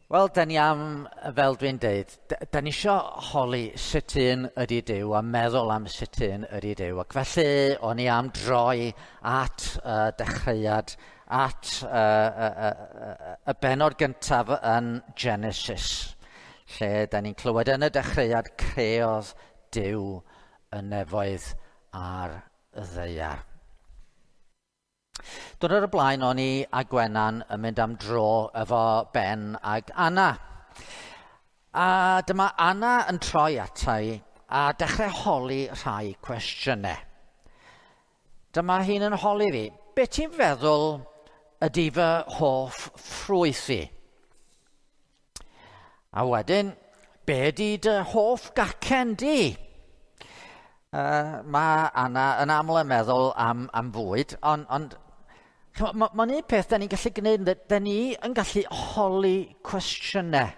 Wel, da ni am, fel dwi'n deud, da ni isio holi sut un ydy Duw a meddwl am sut un ydy Duw. Ac felly, o'n i am droi at dechreuad, at y bennod gyntaf yn Genesis, lle da ni'n clywed yn y dechreuad creodd Duw y nefoedd a'r ddaear. Diwrnod o'r blaen o'n i a Gwenan yn mynd am dro efo Ben ag Anna. A dyma Anna yn troi ata i a dechrau holi rhai cwestiynau. Dyma hi'n yn holi fi, be ti'n feddwl ydy fy hoff ffrwyth i? A wedyn, be ydy dy hoff gacen di? Mae Anna yn aml yn meddwl am fwyd, ond mae'n un peth da ni'n gallu gwneud, da ni yn gallu holi cwestiynau.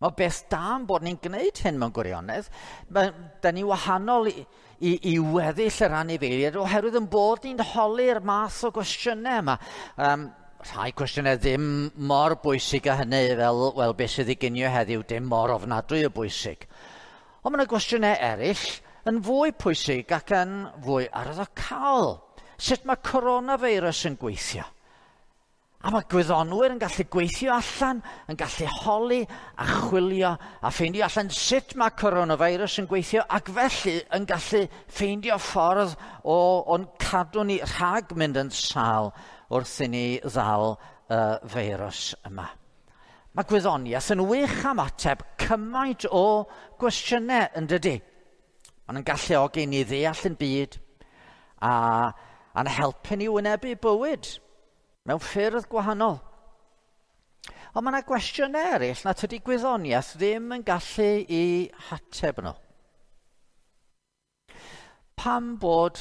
Mae beth da yn bod ni'n gwneud hyn mewn gwirionedd. Da ni wahanol i weddill yr anifeiliaid oherwydd yn bod ni'n holi'r math o gwestiynau yma. Rhai cwestiynau ddim mor bwysig â hynny fel, wel, beth sydd i ginio heddiw, dim mor ofnadwy o bwysig. Ond mae yna gwestiynau eraill yn fwy pwysig ac yn fwy arwyddocaol. Sut mae coronavirus yn gweithio? A mae gwyddonwyr yn gallu gweithio allan, yn gallu holi a chwilio a ffeindio allan sut mae coronavirus yn gweithio, ac felly yn gallu ffeindio ffordd o'n cadw ni rhag mynd yn sâl wrth i ni ddal y feirws yma. Mae gwyddoniaeth yn wych am ateb cymaint o gwestiynau, yn dydy? Maen nhw'n galluogi ni ddeall yn byd a'n helpu ni wynebu bywyd mewn ffyrdd gwahanol. Ond mae yna gwestiynau eraill na tydi gwyddoniaeth ddim yn gallu i hateb nhw. Pam bod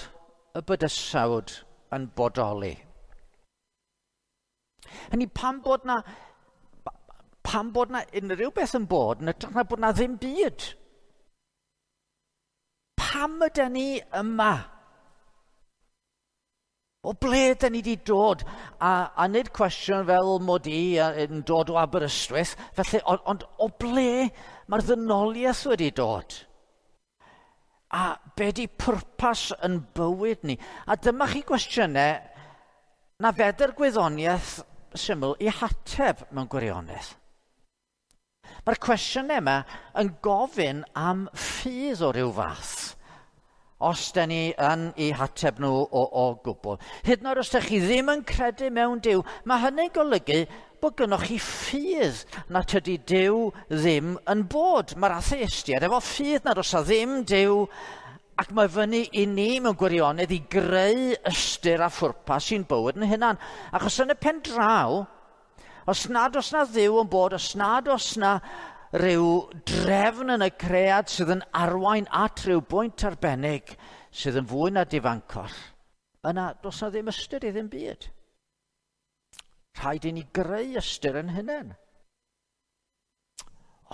y bydysawd yn bodoli? Hynny, pam bod na unrhyw beth yn bod, yn hytrach na bod na ddim byd? Pam ydyn ni yma? O ble ydyn ni wedi dod? A nid cwestiwn fel mod i yn dod o Aberystwyth, felly, ond o ble mae'r ddynoliaeth wedi dod? A be di pwrpas yn bywyd ni? A dyma chi gwestiynau na fedr gwyddoniaeth syml i hateb mewn gwirionedd. Mae'r cwestiynau yma yn gofyn am ffydd o ryw fath, os da ni yn eu hateb nhw o gwbl. Hyd yn oed os da chi ddim yn credu mewn Duw, mae hynny'n golygu bod gynnoch chi ffydd na tydi Duw ddim yn bod. Mae'r atheistiaid efo ffydd nad oes 'na ddim Duw, ac mae fyny i ni mewn gwirionedd i greu ystyr a phwrpas i'n bywyd yn hunan. Achos yn y pen draw, os nad oes na Dduw yn bod, os nad oes na rhyw drefn yn y cread sydd yn arwain at rhyw bwynt arbennig sydd yn fwy na difancoll, yna does na ddim ystyr i ddim byd. Rhaid i ni greu ystyr yn hunain.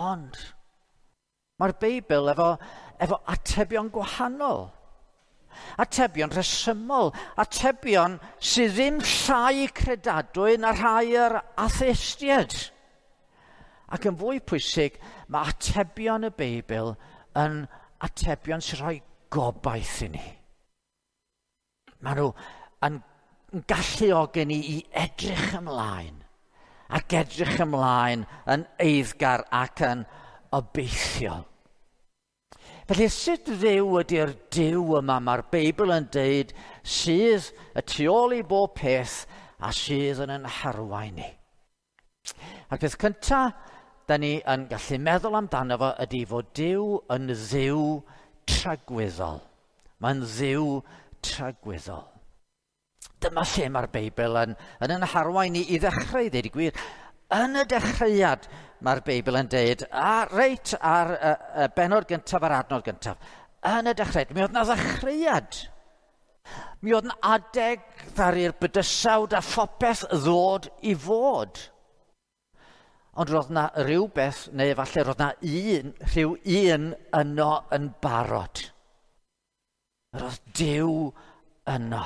Ond mae'r Beibl efo atebion gwahanol. Atebion rhesymol, atebion sydd ddim llai credadwy na rhai yr atheistiaid. Ac yn fwy pwysig, mae atebion y Beibl yn atebion sy'n rhoi gobaith i ni. Maen nhw yn galluogi ni i edrych ymlaen, ac edrych ymlaen yn eiddgar ac yn obeithiol. Felly sut Dduw ydy'r Duw yma mae'r Beibl yn deud sydd y tu ôl i bob peth a sydd yn ein harwain ni? A'r peth cyntaf da ni yn gallu meddwl amdano fo ydy fod Duw yn Dduw tragwyddol. Mae'n Dduw tragwyddol. Dyma lle mae'r Beibl yn ein harwain ni i ddechrau, i ddeud y gwir. Yn y dechreuad mae'r Beibl yn deud, a reit ar y bennod gyntaf a'r adnod gyntaf, yn y dechreuad, mi oedd na ddechreuad. Mi oedd na adeg ddaru'r bydysawd a phopeth ddod i fod. Ond roedd na rhywbeth, neu efallai roedd na rhyw un yno yn barod. Roedd Duw yno.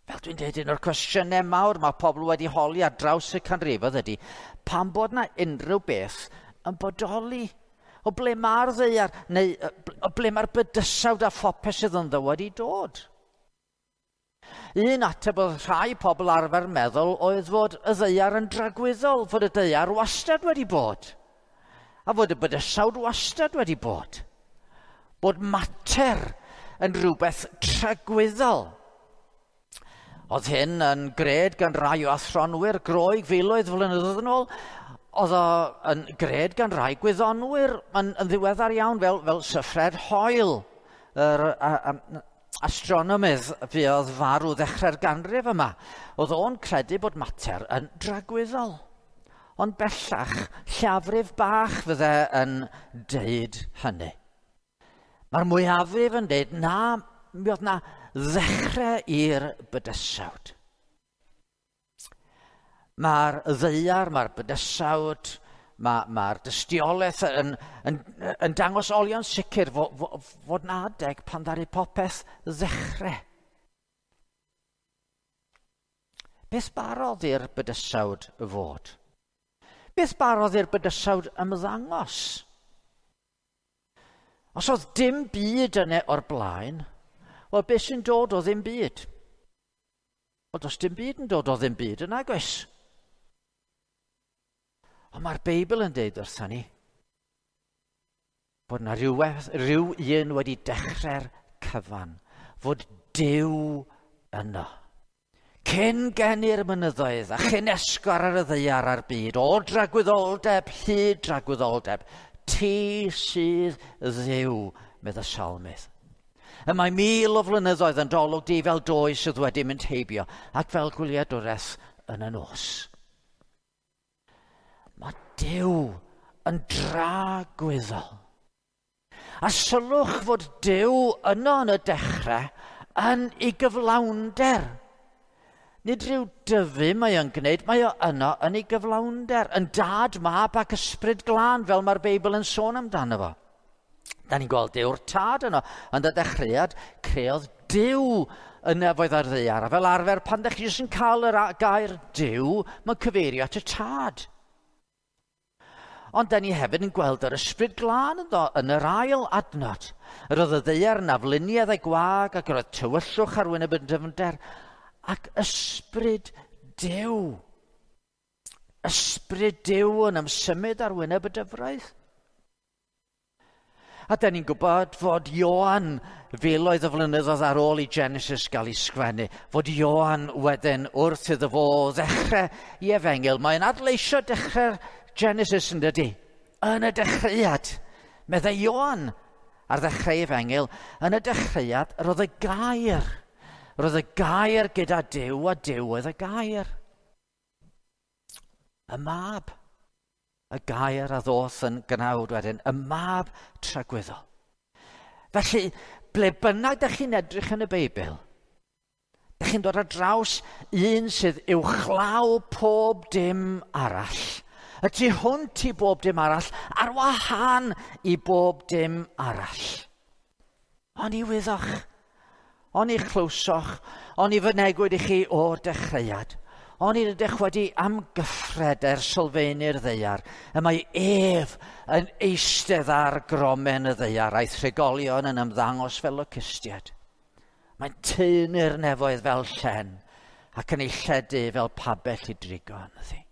Fel dwi'n dweud, un o'r cwestiynau mawr mae pobl wedi holi ar draws y canrifoedd ydy, pam bod na unrhyw beth yn bodoli? O ble mae'r ddaear, neu o ble mae'r bydysawd a phopeth sydd ynddo wedi dod? Un ateb oedd rhai pobl arfer meddwl oedd fod y ddaear yn dragwyddol, fod y ddaear wastad wedi bod, a fod y bydysawd wastad wedi bod. Bod mater yn rhywbeth tragwyddol. Oedd hyn yn gred gan rai o athronwyr Groeg filoedd flynyddoedd yn ôl. Oedd o yn gred gan rai gwyddonwyr yn ddiweddar iawn, fel Sir Fred Hoyle, yr astronomydd fuodd farw ddechrau'r ganrif yma. Oedd o'n credu bod mater yn dragwyddol. Ond bellach, lleiafrif bach fydde yn deud hynny. Mae'r mwyafrif yn deud, na, mi oedd na ddechrau i'r bydysawd. Mae'r ddaear, mae'r bydysawd, mae'r dystiolaeth yn dangos olion sicr fod na adeg pan ddaru popeth ddechrau. Beth barodd i'r bydysawd fod? Beth barodd i'r bydysawd ymddangos? Os oedd dim byd yna o'r blaen, wel, beth sy'n dod o ddim byd? Wel, does dim byd yn dod o ddim byd yn agos. Ond mae'r Beibl yn deud wrthon ni bod yna rhyw un wedi dechrau'r cyfan, fod Duw yno. Cyn geni'r mynyddoedd a chyn esgor ar y ddaear a'r byd, o dragwyddoldeb hyd dragwyddoldeb, ti sydd Dduw, medd y salmydd. Y mae 1000 o flynyddoedd yn dolwg di fel doi sydd wedi mynd heibio ac fel gwyliadwraeth yn y nos. Mae Duw yn dragwyddol. A sylwch fod Duw yno yn y dechrau yn ei gyflawnder. Nid rhyw dyfu mae o'n gwneud, mae o yno yn ei gyflawnder, yn dad, mab ac ysbryd glân, fel mae'r Beibl yn sôn amdano fo. Da ni'n gweld Duw'r tad yno. Yn y dechreuad, creodd Duw y nefoedd a'r ddaear. A fel arfer, pan ddech chi jyst yn cael yr gair Duw, mae'n cyfeirio at y tad. Ond da ni hefyd yn gweld yr ysbryd glân ynddo yn yr ail adnod. Yr oedd y ddaear yn afluniaidd a'i gwag, ac yr oedd tywyllwch ar wyneb y dyfnder, ac ysbryd Duw. Ysbryd Duw yn ymsymud ar wyneb y dyfroedd. A da ni'n gwybod fod Ioan, filoedd o flynyddoedd ar ôl i Genesis gael ei sgwennu, fod Ioan wedyn wrth iddo fo ddechrau i efengyl. Mae'n adleisio dechrau'r Genesis yn dydy. Yn y dechreuad, meddai Ioan ar ddechrau efengyl, yn y dechreuad roedd y gair. Roedd y gair gyda Duw a Duw oedd y gair. Y mab. Y gair a ddoth yn gnawd wedyn, y mab tragwyddol. Felly, ble bynnag dych chi'n edrych yn y Beibl, dych chi'n dod ar draws un sydd uwchlaw pob dim arall, y tu hwnt i bob dim arall, ar wahân i bob dim arall. Oni wyddoch, oni chlywsoch, oni fynegwyd i chi o'r dechreuad, oni rydych wedi amgyffred er sylfaenu'r ddaear, y mae ef yn eistedd ar gromen y ddaear a'i thrigolion yn ymddangos fel locustiaid. Mae'n taenu'r nefoedd fel llen ac yn ei lledu fel pabell i drigo ynddi.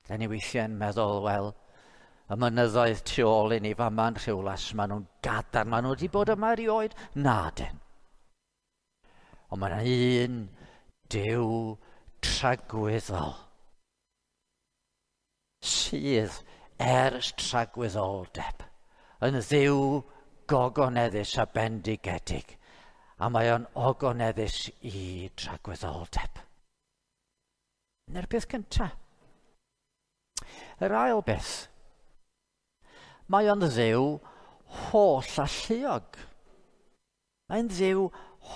Da ni weithiau'n meddwl, wel, y mynyddoedd tu ôl i ni fama'n Rhiwlas, maen nhw'n gadarn, maen nhw wedi bod yma erioed. Na, dyn. Ond mae yna un Duw tragwyddol sydd ers tragwyddoldeb yn Dduw gogoneddus a bendigedig, a mae o'n ogoneddus i tragwyddoldeb. Dyna'r peth cyntaf. Yr ail beth, mae o'n Dduw holl alluog. Mae'n Dduw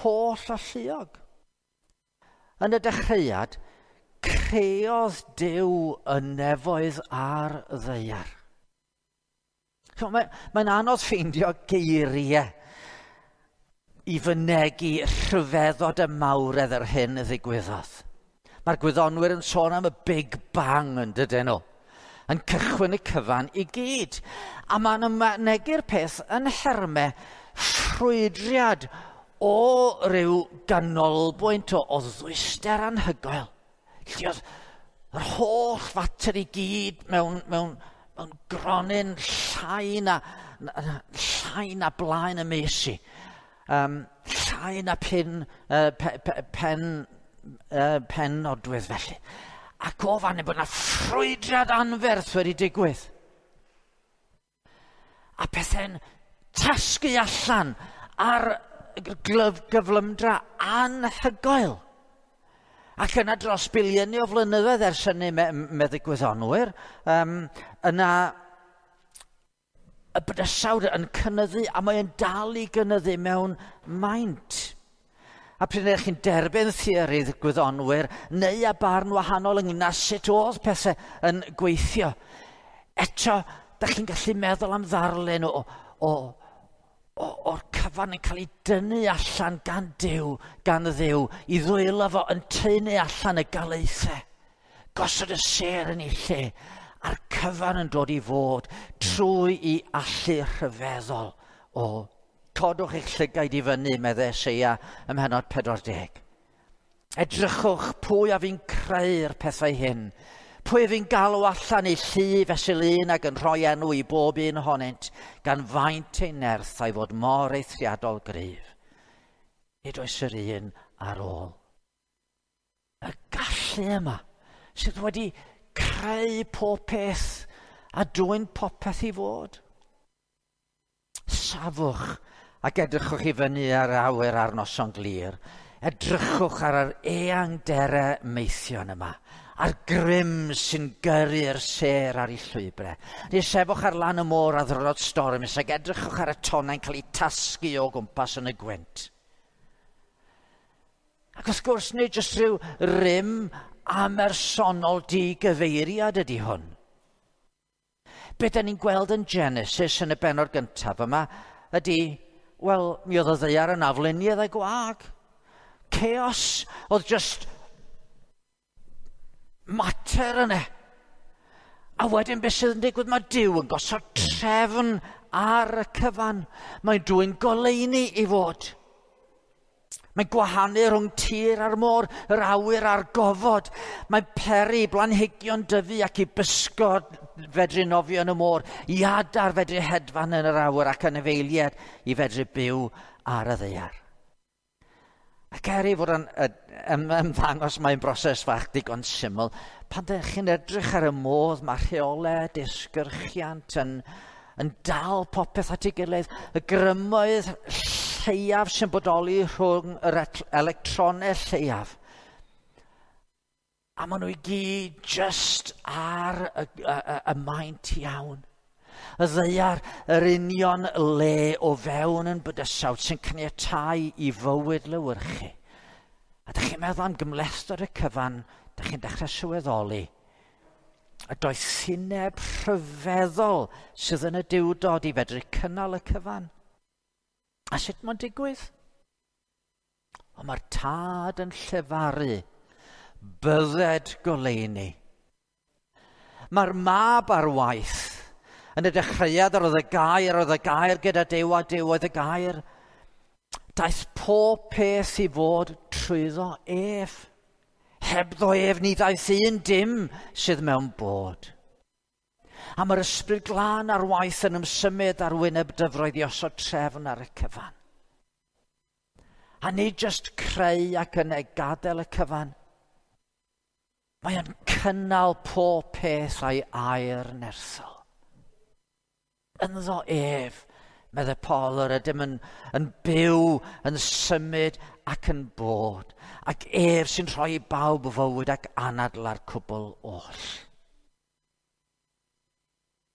holl alluog. Yn y dechreuad, creodd Duw y nefoedd a'r ddaear. Mae'n anodd ffeindio geiriau i fynegi rhyfeddod y mawredd yr hyn ddigwyddodd. Mae'r gwyddonwyr yn sôn am y Big Bang yn dydyn nhw, yn cychwyn y cyfan i gyd. A maen nhw'n mynegi'r peth yn nhermau ffrwydriad o ryw ganolbwynt o ddwyster anhygoel. Lle oedd yr holl fater i gyd mewn gronyn llai na blaen y mes i. Llai na pen nodwydd felly. Ac o fan hyn bod yna ffrwydriad anferth wedi digwydd. A pethau'n tasgu allan ar gyflymdra anhygoel. Ac yna dros biliynau o flynyddoedd ers hynny, meddyg gwyddonwyr, yna y bydysawd yn cynyddu, a mae'n dal i gynyddu mewn maint. A pryd ydych chi'n derbyn theorydd gwyddonwyr neu a barn wahanol ynglyn â sut oedd pethau yn gweithio, eto, dych chi'n gallu meddwl am ddarlun o'r cyfan yn cael ei dynnu allan gan Dduw, i ddwylo fo yn tynnu allan y galaethau, gosod y sêr yn ei lle, a'r cyfan yn dod i fod trwy i allu rhyfeddol o codwch eich llygaid i fyny, meddai Eseia ym mhennod 40. Edrychwch pwy a fi'n creu'r pethau hyn, pwy a fi'n galw allan eu llu fesul un ac yn rhoi enw i bob un ohonynt, gan faint ei nerth a'i fod mor eithriadol gryf. Nid oes yr un ar ôl. Y gallu yma sydd wedi creu pob peth a dwyn popeth i fod. Safwch ac edrychwch i fyny ar awyr ar noson glir. Edrychwch ar yr eangderau meithion yma, a'r grym sy'n gyrru'r sêr ar ei llwybrau. Neu sefwch ar lan y môr a ddrod stormus ac edrychwch ar y tonnau'n cael eu tasgu o gwmpas yn y gwynt. Ac wrth gwrs, nid jyst rhyw rym amersonol digyfeiriad ydy hwn. Be da ni'n gweld yn Genesis yn y bennod gyntaf yma ydy, wel, mi oedd y ddaear yn afluniaidd a gwag. Chaos oedd just mater yna. A wedyn beth sydd yn digwydd, mae Duw yn gosod trefn ar y cyfan. Mae'n dwyn goleuni i fod. Mae'n gwahanu rhwng tir a'r môr, yr awyr a'r gofod. Mae'n peri blanhigion dyfu ac i bysgod fedru nofio yn y môr, i adar fedru hedfan yn yr awyr ac anifeiliaid i fedru byw ar y ddaear. Ac er ei fod yn ymddangos mae'n broses fach digon syml, pan ydych chi'n edrych ar y modd mae rheolau disgyrchiant yn dal popeth at ei gilydd, y grymoedd lleiaf sy'n bodoli rhwng yr electronau lleiaf. A maen nhw i gyd just ar y maint iawn. Y ddaear, yr union le o fewn yn bydysawd sy'n caniatáu i fywyd lewyrchu. A dych chi'n meddwl am gymhlethdod y cyfan, dych chi'n dechrau sylweddoli y doethineb rhyfeddol sydd yn y Duwdod i fedru cynnal y cyfan. A sut mae'n digwydd? Ond mae'r Tad yn llefaru, bydded goleuni. Mae'r Mab ar waith. Yn y dechreuad yr oedd y gair, oedd y gair gyda Duw a Duw oedd y gair. Daeth pob peth i fod trwyddo ef. Hebddo ef ni ddaeth un dim sydd mewn bod. A mae'r Ysbryd Glân ar waith yn ymsymud ar wyneb dyfroedd i osod trefn ar y cyfan. A nid jyst creu ac yn ei gadael y cyfan. Mae o'n cynnal pob peth a'i air nerthol. Ynddo ef, meddai Paul, yr ydym yn byw, yn symud ac yn bod. Ac ef sy'n rhoi i bawb fywyd ac anadl ar cwbl oll.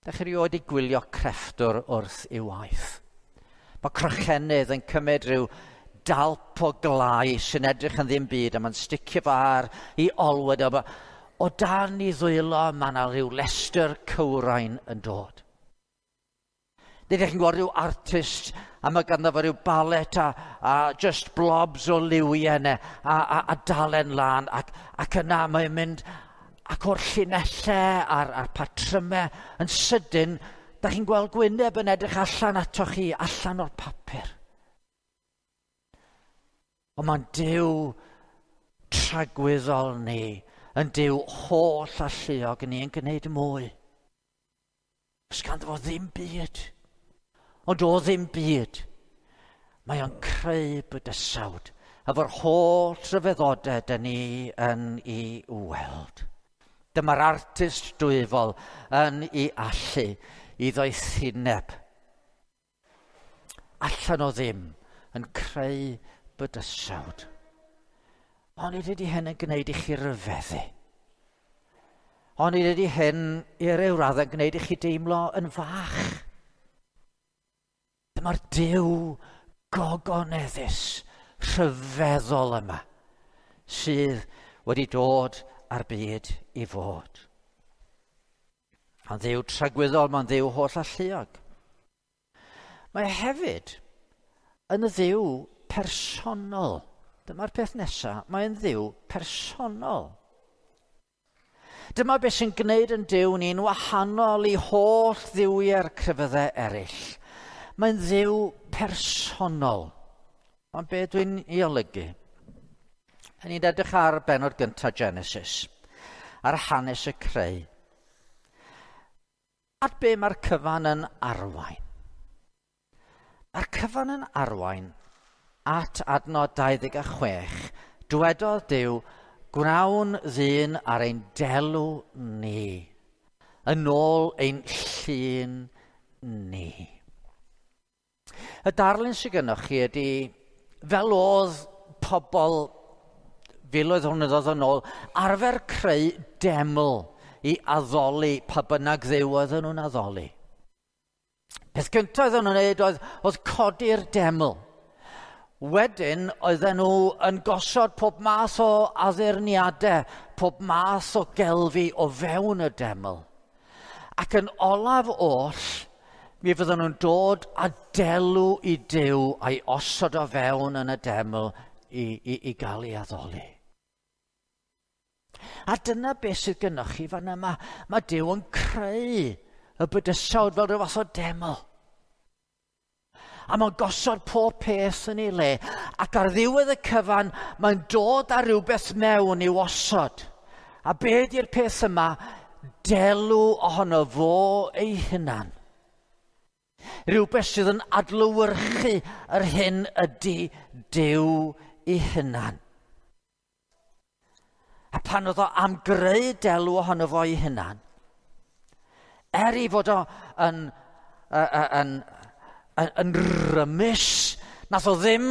Dach chi erioed i gwylio crefftwr wrth ei waith? Mae crochenydd yn cymryd rhyw dalp o glai sy'n edrych yn ddim byd a mae'n sticio fo ar ei olwyd. O dan ei ddwylo mae yna rhyw lestr cywrain yn dod. Nid ydych chi'n gweld rhyw artist a mae ganddo fo rhyw balet a just blobs o liwiau yna a dalen lan ac yna mae'n mynd ac o'r llinellau a'r patrymau yn sydyn, da chi'n gweld gwyneb yn edrych allan atoch chi, allan o'r papur. Ond mae'n Duw tragwyddol ni, yn Duw holl alluog ni yn gwneud mwy. Os ganddo fo ddim byd. Ond o ddim byd, mae o'n creu bydysawd efo'r holl rhyfeddodau dyn ni yn ei weld. Dyma'r artist dwyfol yn ei allu i ddoethineb. Allan o ddim yn creu bydysawd. Ond ydy hyn yn gwneud i chi ryfeddu. Ond ydy hyn i ryw raddau yn gwneud i chi deimlo yn fach. Dyma'r Duw gogoneddus rhyfeddol yma sydd wedi dod â'r byd i fod. Mae'n Dduw tragwyddol, mae'n Dduw holl alluog. Mae hefyd yn Dduw personol. Dyma'r peth nesaf, mae'n Dduw personol. Dyma beth sy'n gwneud yn Duw ni'n wahanol i holl dduwiau'r crefyddau eraill. Mae'n Dduw personol. Ond be dwi'n ei olygu? Ni'n edrych ar bennod gyntaf Genesis, ar hanes y creu. At be mae'r cyfan yn arwain? Mae'r cyfan yn arwain at adnod 26. Dwedodd Duw, gwnawn ddyn ar ein delw ni, yn ôl ein llun ni. Y darlun sydd gennych chi ydy, fel oedd pobl filoedd o flynyddoedd yn ôl, arfer creu deml i addoli pa bynnag dduw oedden nhw'n addoli. Peth gyntaf oedden nhw'n wneud oedd codi'r deml. Wedyn oedden nhw yn gosod pob math o addurniadau, pob math o gelfi o fewn y deml. Ac yn olaf oll, mi fydden nhw'n dod â delw i Duw a'i osod o fewn yn y deml i gael ei addoli. A dyna beth sydd gynnwch chi fan yma. Mae Duw yn creu y bydysawd fel rhyw fath o deml. A mae'n gosod pob peth yn ei le. Ac ar ddiwedd y cyfan, mae'n dod â rhywbeth mewn i'w osod. A be ydy'r peth yma? Delw ohono fo ei hunan. Rhywbeth sydd yn adlewyrchu yr hyn ydy Duw ei hunan. A pan oedd o am greu delw ohono fo ei hunan, er i fod o yn rymus, nath o ddim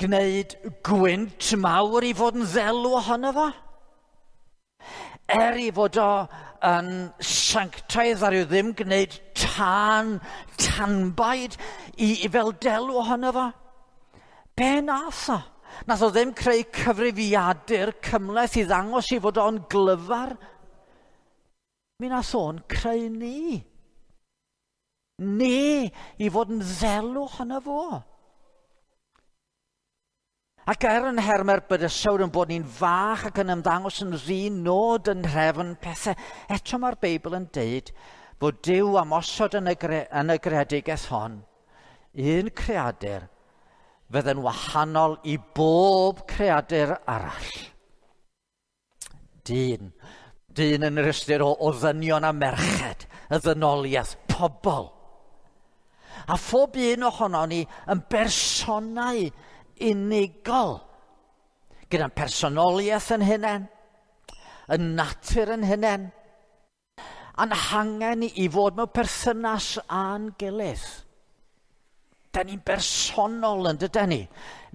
gwneud gwynt mawr i fod yn ddelw ohono fo. Er i fod o yn sanctaidd ar yw ddim gwneud tân, tanbaid i fel delw ohono fo. Be nath o? Nath o ddim creu cyfrifiadur cymhleth i ddangos i fod o'n glyfar. Mi nath o'n creu ni. Ni i fod yn ddelw ohono fo. Ac er yn nhermau'r bydysawd yn bod ni'n fach ac yn ymddangos yn ddi-nod yn nhrefn pethau, eto mae'r Beibl yn deud fod Duw am osod yn y greadigaeth hon, un creadur fydd yn wahanol i bob creadur arall. Dyn. Dyn yn yr ystyr o ddynion a merched, y ddynoliaeth, pobl. A phob un ohono ni yn bersonau unigol, gyda'n personoliaeth yn hunain, yn natur yn hunain, a'n hangen i fod mewn perthynas â'n gilydd. Da ni'n bersonol yn dydan ni,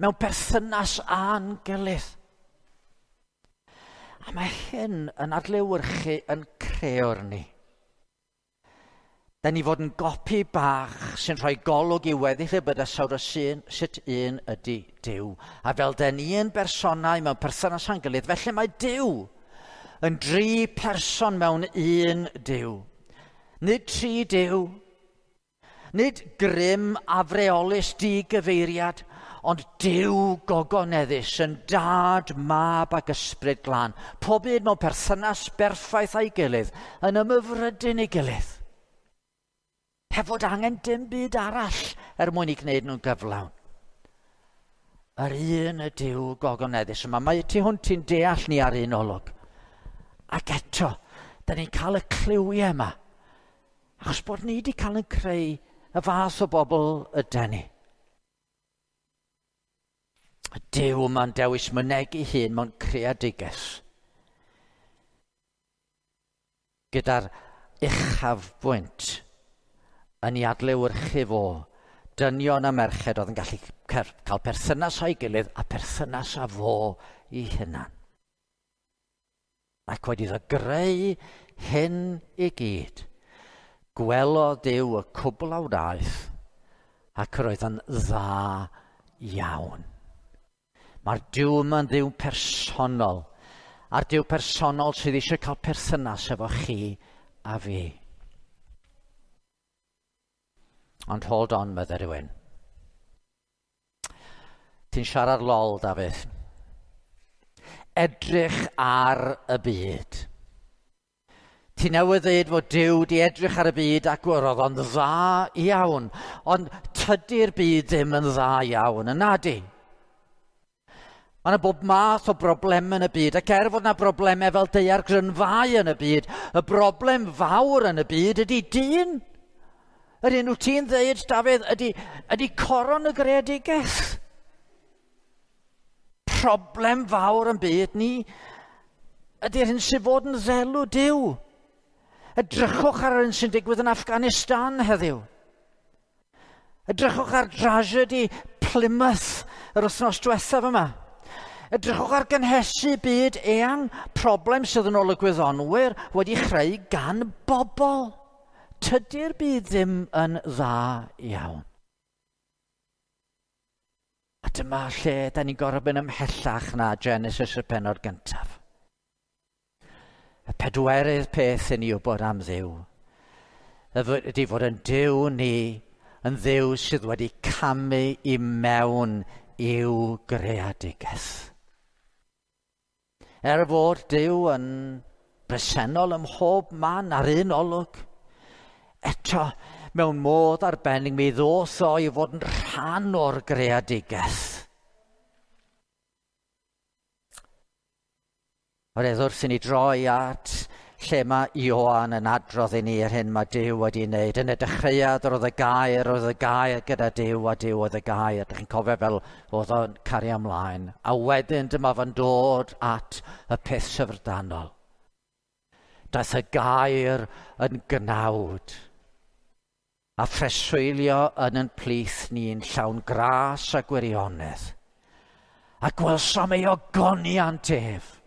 mewn perthynas â'n gilydd. A mae hyn yn adlewyrchu yn creor ni. Da ni fod yn gopi bach sy'n rhoi golwg i weddill y bydysawd o sut un ydy Duw. A fel da ni yn bersonau mewn perthynas â'n gilydd, felly mae Duw yn dri person mewn un Duw. Nid tri Duw, Nid grym afreolus digyfeiriad, ond Duw gogoneddus yn dad, mab ac ysbryd glân. Pob un mewn perthynas berffaith â'i gilydd, yn ymhyfrydyn ei gilydd. Heb fod angen dim byd arall er mwyn i gwneud nhw'n gyflawn. Yr un y Duw gogoneddus yma. Mae tu hwnt i'n deall ni ar un olwg. Ac eto, da ni'n cael y cliwiau yma. Achos bod ni wedi cael yn creu y fath o bobl ydy ni. Y Duw yma'n dewis mynegi hun mewn creadigaeth. Gyda'r uchafbwynt yn ei adlewyrchu fo, dynion a merched oedd yn gallu cael perthynas â'i gilydd a perthynas â fo i hunan. Ac wedi iddo greu hyn i gyd, gwelodd Duw y cwbl a wnaeth ac roedd yn dda iawn. Mae'r Duw yma'n Dduw personol, a'r Duw personol sydd eisiau cael perthynas efo chi a fi. Ond hold on, medde rhywun. Ti'n siarad lol, Dafydd. Edrych ar y byd. Ti newydd ddeud fod Duw di edrych ar y byd ac roedd o'n dda iawn, ond tydi'r byd ddim yn dda iawn, yna di. Mae yna bob math o broblemau yn y byd, ac er fod yna broblemau fel daeargrynfâu yn y byd, y broblem fawr yn y byd ydy dyn. Yr un wyt ti'n ddeud, Dafydd, ydy coron y greadigaeth. Problem fawr yn byd ni ydy'r hyn sydd fod yn ddelw Duw. Edrychwch ar yr hyn sy'n digwydd yn Afghanistan heddiw. Edrychwch ar dragedy Plymouth yr wythnos diwethaf yma. Edrychwch ar gynhesu byd eang, problem sydd yn ôl y gwyddonwyr wedi chreu gan bobl. Tydi'r byd ddim yn dda iawn. A dyma lle da ni'n gorfod mynd ymhellach na Genesis y pennod gyntaf. Y pedwerydd peth i ni wybod am Dduw ydy fod yn Duw ni yn Dduw sydd wedi camu i mewn i'w greadigaeth. Er fod Duw yn bresennol ym mhob man ar un olwg, eto mewn modd arbennig mi ddoth o i fod yn rhan o'r greadigaeth. Oherwydd wrth i ni droi at lle mae Ioan yn adrodd i ni yr hyn mae Duw wedi wneud. Yn y dechreuad roedd y gair, roedd y gair gyda Duw a Duw oedd y gair. Dych chi'n cofio fel oedd o'n cario ymlaen. A wedyn dyma fo'n dod at y peth syfrdanol. Daeth y gair yn gnawd a phreswylio yn ein plith ni'n llawn gras a gwirionedd. A gwelsom ei ogoniant ef.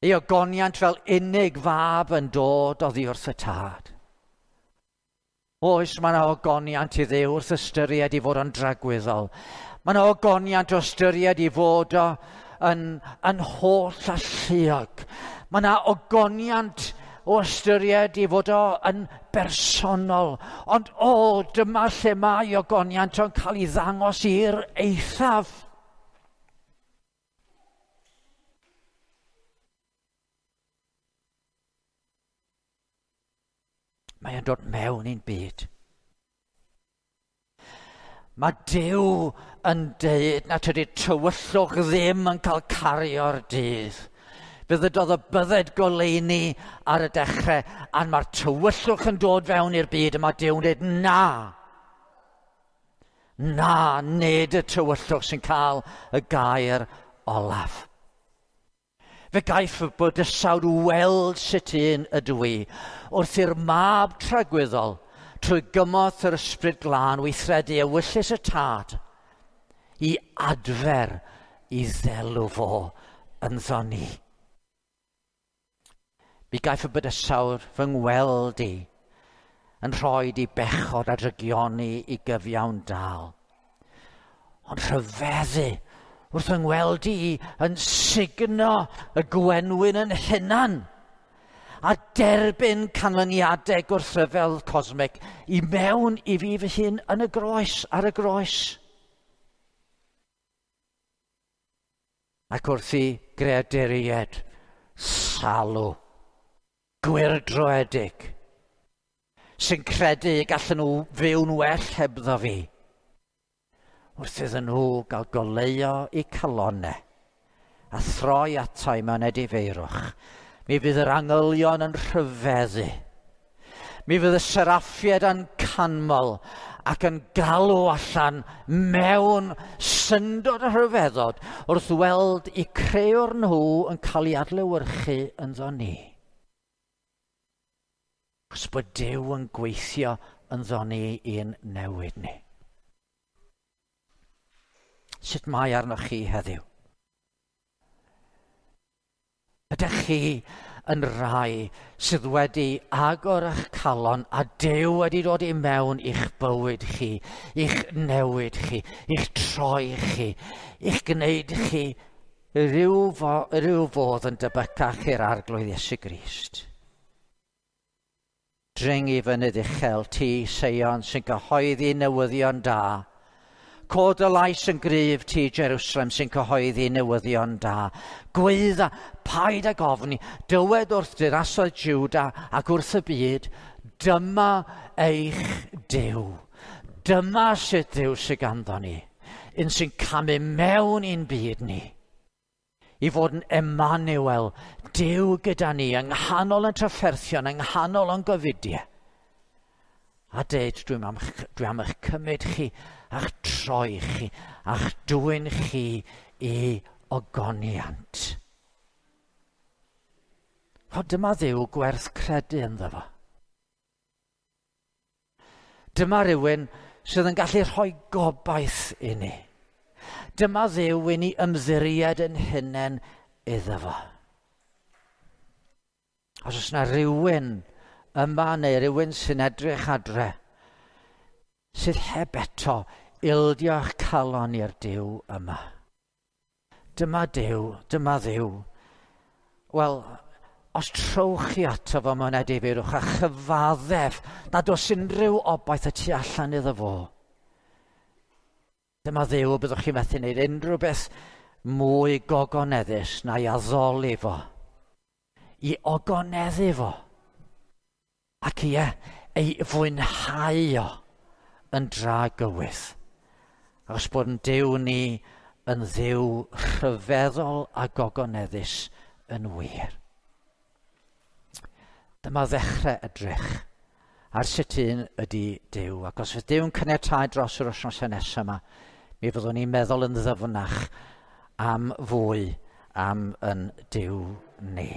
Ei ogoniant fel unig fab yn dod oddi wrth y tad. Oes, mae yna ogoniant i Dduw wrth ystyried i fod yn dragwyddol. Mae yna ogoniant o ystyried i fod o yn holl alluog. Mae yna ogoniant o ystyried i fod o yn bersonol. Ond o, dyma lle mae ogoniant o'n cael ei ddangos i'r eithaf. Mae o'n dod mewn i'n byd. Mae Duw yn deud na tydi'r tywyllwch ddim yn cael cario'r dydd. Fe ddydodd y bydded goleuni ar y dechrau, a mae'r tywyllwch yn dod fewn i'r byd, a mae Duw'n dweud na. Na, nid y tywyllwch sy'n cael y gair olaf. Fe gaiff y bydysawd weld sut un ydw i wrth i'r mab tragwyddol trwy gymorth yr ysbryd glân weithredu ewyllys y tad i adfer i ddelw fo ynddo ni. Mi gaiff y bydysawd fy ngweld i yn rhoi i bechod a drygioni i gyfiawn dal. Ond rhyfeddu wrth yng ngweld i yn sugno y gwenwyn yn hunan. a derbyn canlyniadau gwrthryfel cosmic i mewn i fi fy hun yn y groes, ar y groes. Ac wrth i greaduriaid salw, gwyrdroedig, sy'n credu y gallen nhw fyw'n well hebddo fi, wrth iddyn nhw gael goleuo eu calonnau a throi atai mewn edifeirwch, mi fydd yr angylion yn rhyfeddu. Mi fydd y seraffiaid yn canmol ac yn galw allan mewn syndod a rhyfeddod wrth weld eu crëwr nhw yn cael ei adlewyrchu ynddo ni. Achos bod Duw yn gweithio ynddo ni i'n newid ni. Sut mae arnoch chi heddiw? Ydych chi yn rai sydd wedi agor eich calon a Duw wedi dod i mewn i'ch bywyd chi, i'ch newid chi, i'ch troi chi, i'ch gwneud chi rhyw fodd yn debycach i'r Arglwydd Iesu Grist? Dring i fynydd uchel, ti, Seion, sy'n cyhoeddi newyddion da. Cod y lais yn gryf ti, Jerusalem, sy'n cyhoeddi newyddion da. Gweidda, paid ag ofni, dywed wrth dirasoedd Juda ac wrth y byd, dyma eich Duw. Dyma sut Dduw sydd ganddo ni, un sy'n camu mewn i'n byd ni. I fod yn Emmanuel, Duw gyda ni, yng nghanol yn trafferthion, yng nghanol yn gofidiau. A deud, dwi am eich cymryd chi, a'ch troi chi, a'ch dwyn chi i ogoniant. O, dyma Dduw gwerth credu ynddo fo. Dyma rywun sydd yn gallu rhoi gobaith i ni. Dyma Dduw i ni ymddiried yn hunain iddo fo. Os oes yna rywun yma neu rywun sy'n edrych adre, sydd heb eto ildio'ch calon i'r Duw yma. Dyma Duw, dyma Dduw. Wel, os trowch chi ato fo mewn edifeirwch a chyfaddef nad oes unrhyw obaith y tu allan iddo fo, dyma Dduw, byddwch chi'n methu wneud unrhyw beth mwy gogoneddus na'i addoli fo, i ogoneddu fo, ac ie, ei fwynhau o yn dragywydd. Achos bod yn Duw ni yn Dduw rhyfeddol a gogoneddus yn wir. Dyma ddechrau edrych ar sut un ydy Duw. Ac os fydd Duw'n caniatáu dros yr wythnosau nesaf yma, mi fyddwn ni'n meddwl yn ddyfnach am fwy am yn Duw ni.